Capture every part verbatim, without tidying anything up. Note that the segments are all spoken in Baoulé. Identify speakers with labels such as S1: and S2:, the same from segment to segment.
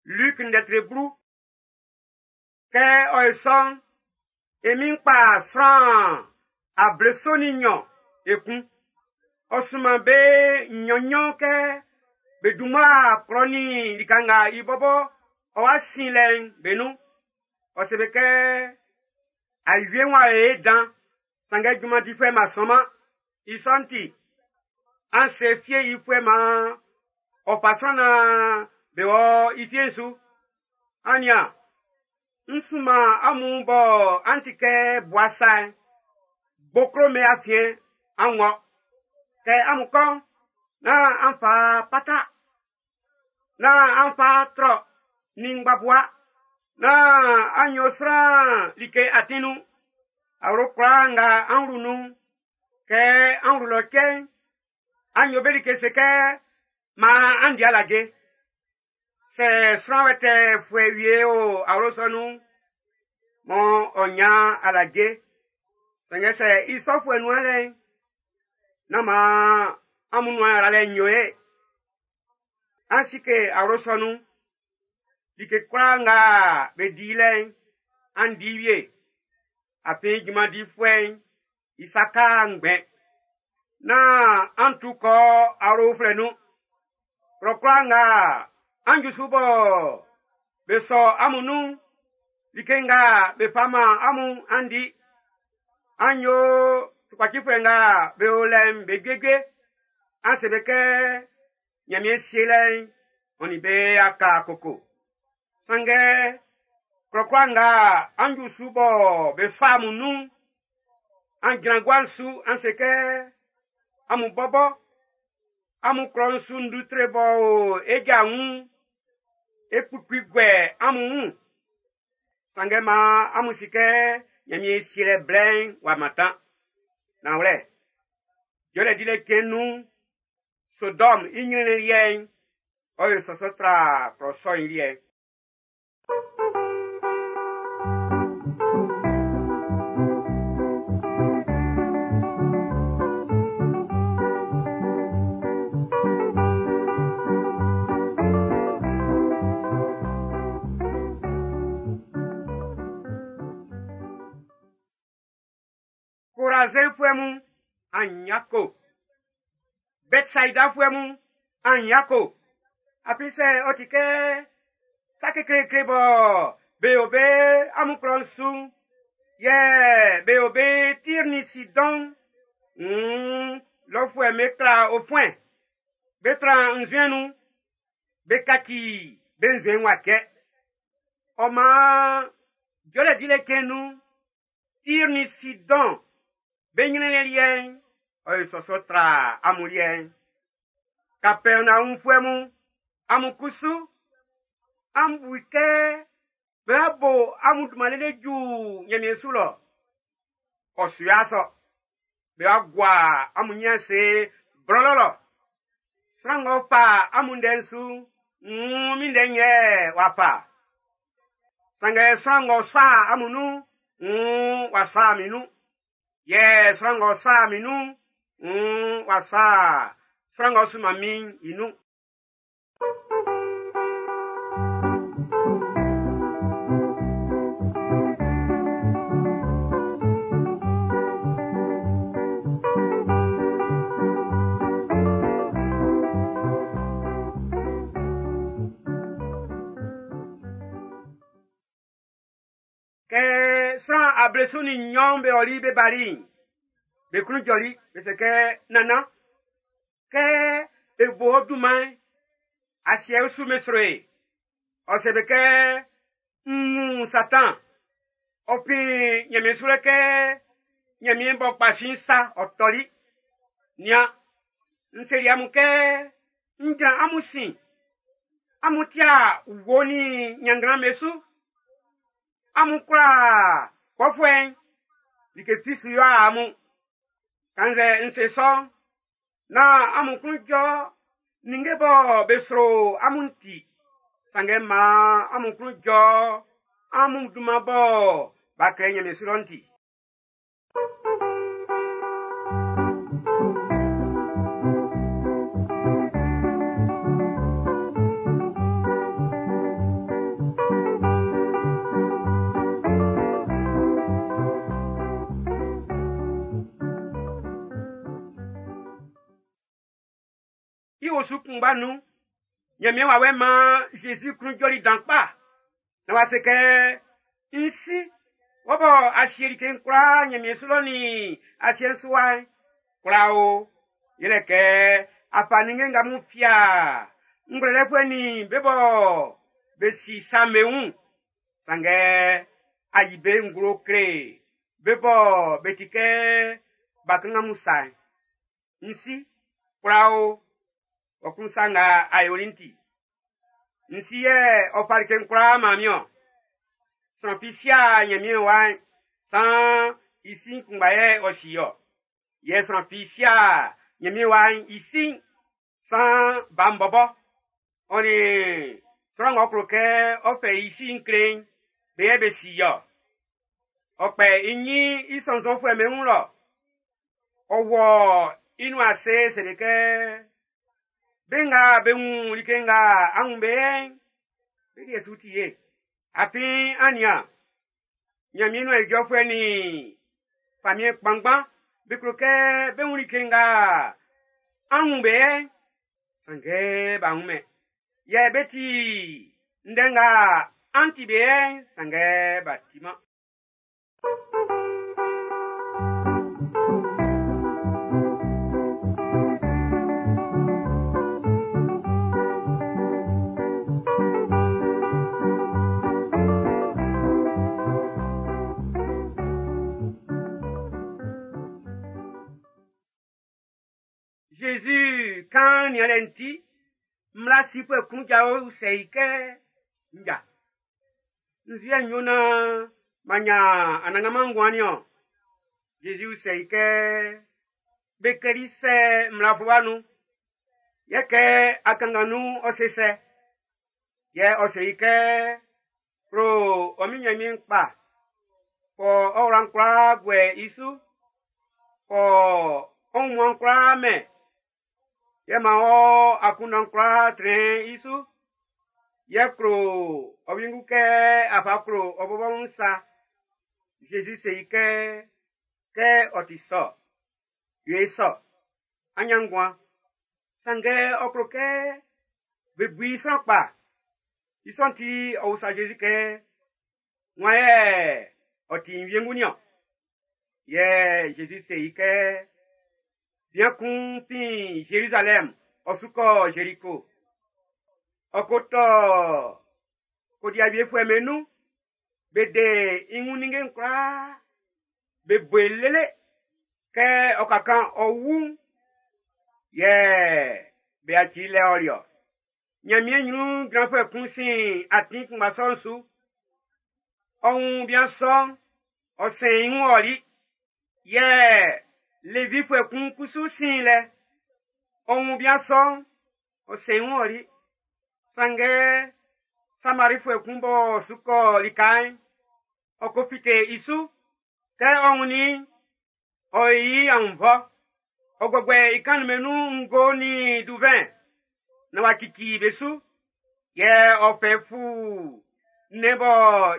S1: Luc ndɛtre blu. Kɛ ɔ ye sɔ'n, e min kpa sran ableso nin nnyɔn ekun. Ɔ sunman be nnyɔn-nnyɔn kɛ be dunman klɔ nin lika nga i bɔbɔ ɔ wa sin lɛ'n be nun. Ɔ se be kɛ awie wa ye dan, sanngɛ junman difuɛ ma sɔnman. I sɔ'n ti, an se fie yifuɛ ma ɔ fa sran na be wɔ i fie'n su. An nian, n sunman amun bɔ an ti kɛ bua sa'n, gboklo me afiɛn an wɔ. Kɛ amun kɔ'n, nán an fa pata, nán an fa trɔ nin ngbabua, nán an yo sran like atin nun. Awlo kwlaa nga an wlu nun'n, kɛ an wlu lɔ cɛ'n, an yo be like se kɛ maan an di alaje. Sɛ sran wɛtɛɛfuɛ wie o awlo sɔ nun'n, mɔ ɔ nya alaje. Sanngɛ sɛ i sɔfuɛ nuan lɛ'n, nán maan amun nuan yralɛ'n yo ye. An sike awlo sɔ nun. Like kwlaa nga be di lɛ'n, an di wie. Afin junman difuɛ'n i saka ngbɛn. Nán an tu kɔ awlo uflɛ nun. Klɔ kwlaa nga an ju su bɔ be sɔ amun nun, like nga be fa man amun an di. An yo tukpacifuɛ nga be o lɛ'n be juejue. An se be kɛ Ɲanmiɛn sielɛ'n ɔ nin be aka koko. Sanngɛ klɔ kwlaa nga an ju su bɔ be sɔ amun nun'n, an jran gua'n su an se kɛ amun bɔbɔ amun klɔ'n su ndutre bɔ o e ja wun, e kpukpu guɛ amun wun. Sanngɛ maan amun si kɛ Ɲanmiɛn sielɛ blɛ'n w'a mantan. Nanwlɛ, jɔlɛ dilɛ cɛn'n nun'n, Sodɔm i ɲrɛnnɛn liɛ'n, ɔ ye sɔsɔ tra klɔ sɔ'n i liɛ'n. Korazinfuɛ mun, an yako. Bɛtsaidafuɛ mun, an yako. Afin sɛ ɔ ti kɛ sa kekleekle bɔ be o be amun klɔ'n su'n, yɛ be o be Tir nin Sidɔn, mm, lɔfuɛ'm be kla ofuɛn, be tran nzuɛn nun, be kaci be nzuɛn'n wa cɛ. Ɔ maan jɔlɛ dilɛ cɛn'n nun'n, Tir nin Sidɔn be ɲrɛnnɛn liɛ'n, ɔ ye sɔsɔ tra amun liɛ'n. Kapɛrnaumfuɛ mun, amun kusu, an bu i kɛ be bo amun dunman lele ju Ɲanmiɛn su lɔ. Ɔ su ya sɔ. Be wa gua amun ɲin ase blɔlɔ lɔ. Sran ng'ɔ fa amun ndɛ'n su, mm, min ndɛ'n yɛ w'a fa. Sanngɛ sran ng'ɔ sa amun nun'n, mm, w'a sa min nun. Yɛ sran ng'ɔ sa min nun'n, mm, w'a sa sran ng'ɔ sunman min'n i nun. Kɛ sran ableso nin nnyɔn be ɔli be bali'n, be klun jɔli, be se kɛ nana, kɛ e bo ɔ dunman'n, asiɛ usu me sro e. Ɔ se be kɛ n wun Satan, ɔ fin Ɲanmiɛn su lɛ kɛ Ɲanmiɛn b'ɔ kpa sin sa ɔ tɔli. Nian, n seli amun kɛ n jran amun sin, amun tia wo nin ɲannglan be su. Amun kwla kpɔfuɛ'n, like fi su yo amun. Kannzɛ n se sɔ'n, nán amun klun jɔ ninnge bɔ be sro amun ti. Sanngɛ maan amun klun jɔ amun dunman bɔ b'a klɛ Ɲanmiɛn su lɔ'n ti. osu kunngba nun, Ɲanmiɛn wawɛ'n maan Zezi klun jɔli dan kpa. Na w'a se kɛ, n si, wɔ bɔ a sie like'n kwlaa Ɲanmiɛn su lɔ nin asiɛ'n su wa'n, kwlaa o, yɛlɛ kɛ a fa ninnge nga mun fia ngwlɛlɛfuɛ nin be bɔ be si sa'm be wun. Sanngɛ a yi be nglo kle be bɔ be ti kɛ bakanngan mun sa'n. N si, kwlaa o, ɔ kun sa nga a yoli'n ti. N si yɛ ɔ fa like'n kwlaa man min ɔ. Sran fi si'a Ɲanmiɛn wa'n, san i sin kunngba yɛ ɔ si ɔ. Yɛ sran fi si'a Ɲanmiɛn wa'n i sin, san ba'n bɔbɔ. Ɔ nin sran ng'ɔ klo kɛ ɔ fɛ i si'n kle'n, be yɛ be si ɔ. Ɔ kpɛ i ɲin i sɔnnzɔnfuɛ'm be wun lɔ. Ɔ wɔ i nuan ase seli kɛ, be nga be wun like nga an wun be yɛ'n, be liɛ su ti ye. Afin an nian, Ɲanmiɛn nuan ijɔfuɛ nin famiɛn kpanngban be klo kɛ be wun like nga an wun be yɛ'n, sanngɛ b'a wunmɛn. Yɛ be ti ndɛ nga an ti be yɛ'n, sanngɛ b'a timan. Jésus kan nianlɛ'n ti, mmla sifuɛ kun jao usɛ i kɛ, nja. Nzuɛ n yo naan ma ɲan anannganman nguan niɔn. Jésus usɛ i kɛ, be klɛli sɛ mmla fluwa nun. Yɛ kɛ akanngan nun ɔ se sɛ. Yɛ ɔ se i kɛ, klo ɔ min Ɲanmiɛn kpa, fɔ ɔ wla'n kwlaa guɛ i su, fɔ ɔ wunmuan'n kwlaa mɛn. Yɛ man ɔ akunndan kwlaa trɛn i su. Yɛ klo ɔ wiengu kɛ a fa klo ɔ bɔbɔ wun sa. Jésus se i kɛ, kɛ ɔ ti sɔ, yo i sɔ, an ɲan nguan. Sanngɛ ɔ klo kɛ be bu i sran kpa. I sɔ'n ti ɔ usa Jésus kɛ, wan yɛ ɔ ti n wiengu niɔn? Yɛ Jésus se i kɛ, bian kun fin Jérusalem, ɔ su kɔ Jéricho. Ɔ ko tɔ kodiawiefuɛ'm be nun, be de i wun ninnge'n kwlaa, be bo i lele kɛ ɔ ka kan ɔ wu'n, yɛ be yaci i lɛ ɔli ɔ. Ɲanmiɛn ɲrun jranfuɛ kun sin atin kunngba sɔ'n su. Ɔ wun bian sɔ'n, ɔ sɛn i wun ɔli. Yɛ Levifuɛ kun kusu sin lɛ. Ɔ wun bian sɔ'n, ɔ sɛn i wun ɔli. Sanngɛ Samarifuɛ kun b'ɔ su kɔ lika'n, ɔ ko fite i su. Kɛ ɔ wunnin i'n, ɔ yi i aunnvɔ. Ɔ guɛguɛ i kannin'm nun ngo nin duvɛn na w'a cici be su. Yɛ ɔ fɛ fu nnɛn bɔ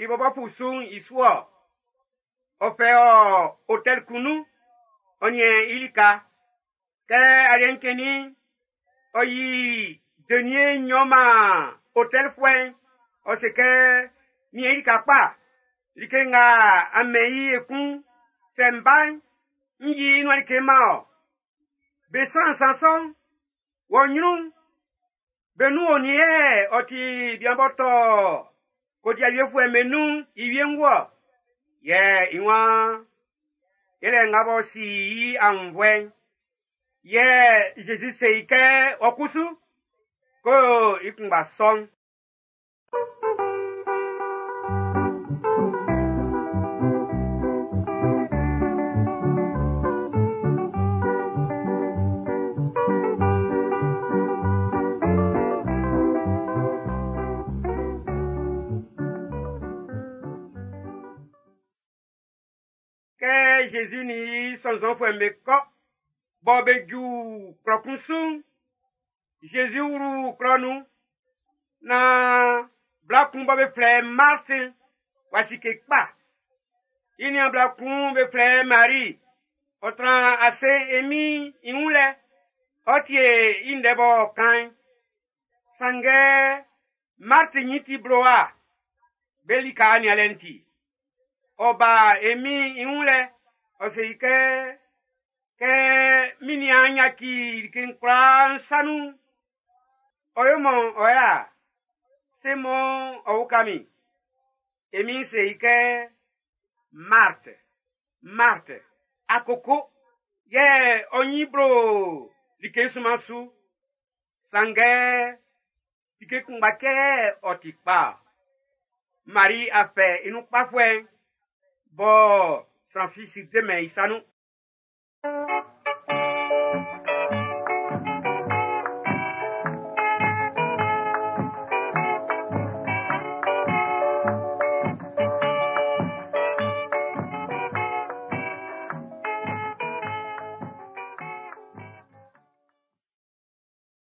S1: i bɔbɔ fu su'n i su ɔ. Ɔ fɛ ɔ hôtel kun nun, ɔ niɛn i lika. Kɛ aliɛ'n cɛnnin'n, ɔ yi denier nnyɔn man hôtelfuɛ'n. Ɔ se kɛ, niɛn i lika kpa. Like nga a mɛn i ekun, sɛ n ba'n, n yi i nuan like man ɔ. Be sran nsan sɔ'n, wɔ ɲrun, be nun onin yɛ ɔ ti bian b'ɔ tɔ kodiawiefuɛ'm be nun i wiengu ɔ. Yɛ i waan, yɛlɛ nga b'ɔ si i aunnvɔɛ'n. Yɛ Jésus se i kɛ, ɔ kusu, ko i kunngba sɔ'n. Kɛ Jésus ni i sɔnnzɔnfuɛ'm be kɔ, bɔ be ju klɔ kun su'n, Jésus wlu klɔ nun, na bla kun bɔ be flɛ Marti w'a sike kpa. I niaan bla kun be flɛ Marie, ɔ tran ase e Min'n i wun lɛ, Ɔ tie i ndɛ b'ɔ kan'n. Sanngɛ Marti nyin ti blowa, be lika nianlɛ'n ti. Ɔ ba e Min'n i wun lɛ, ɔ se i kɛ, kɛ min niaan yaci like'n kwlaa n sa nun'n, ɔ yo mɔ ɔ ya, se mɔ ɔ uka min. E Min'n se i kɛ, Marthe, Marthe, a koko, yɛ ɔ nyin blo like sunman su. Sanngɛ, like kunngba cɛ yɛ ɔ ti kpa. Mari a fɛ i nun kpafuɛ'n, bɔ sran fi su de-mɛn i sa nun.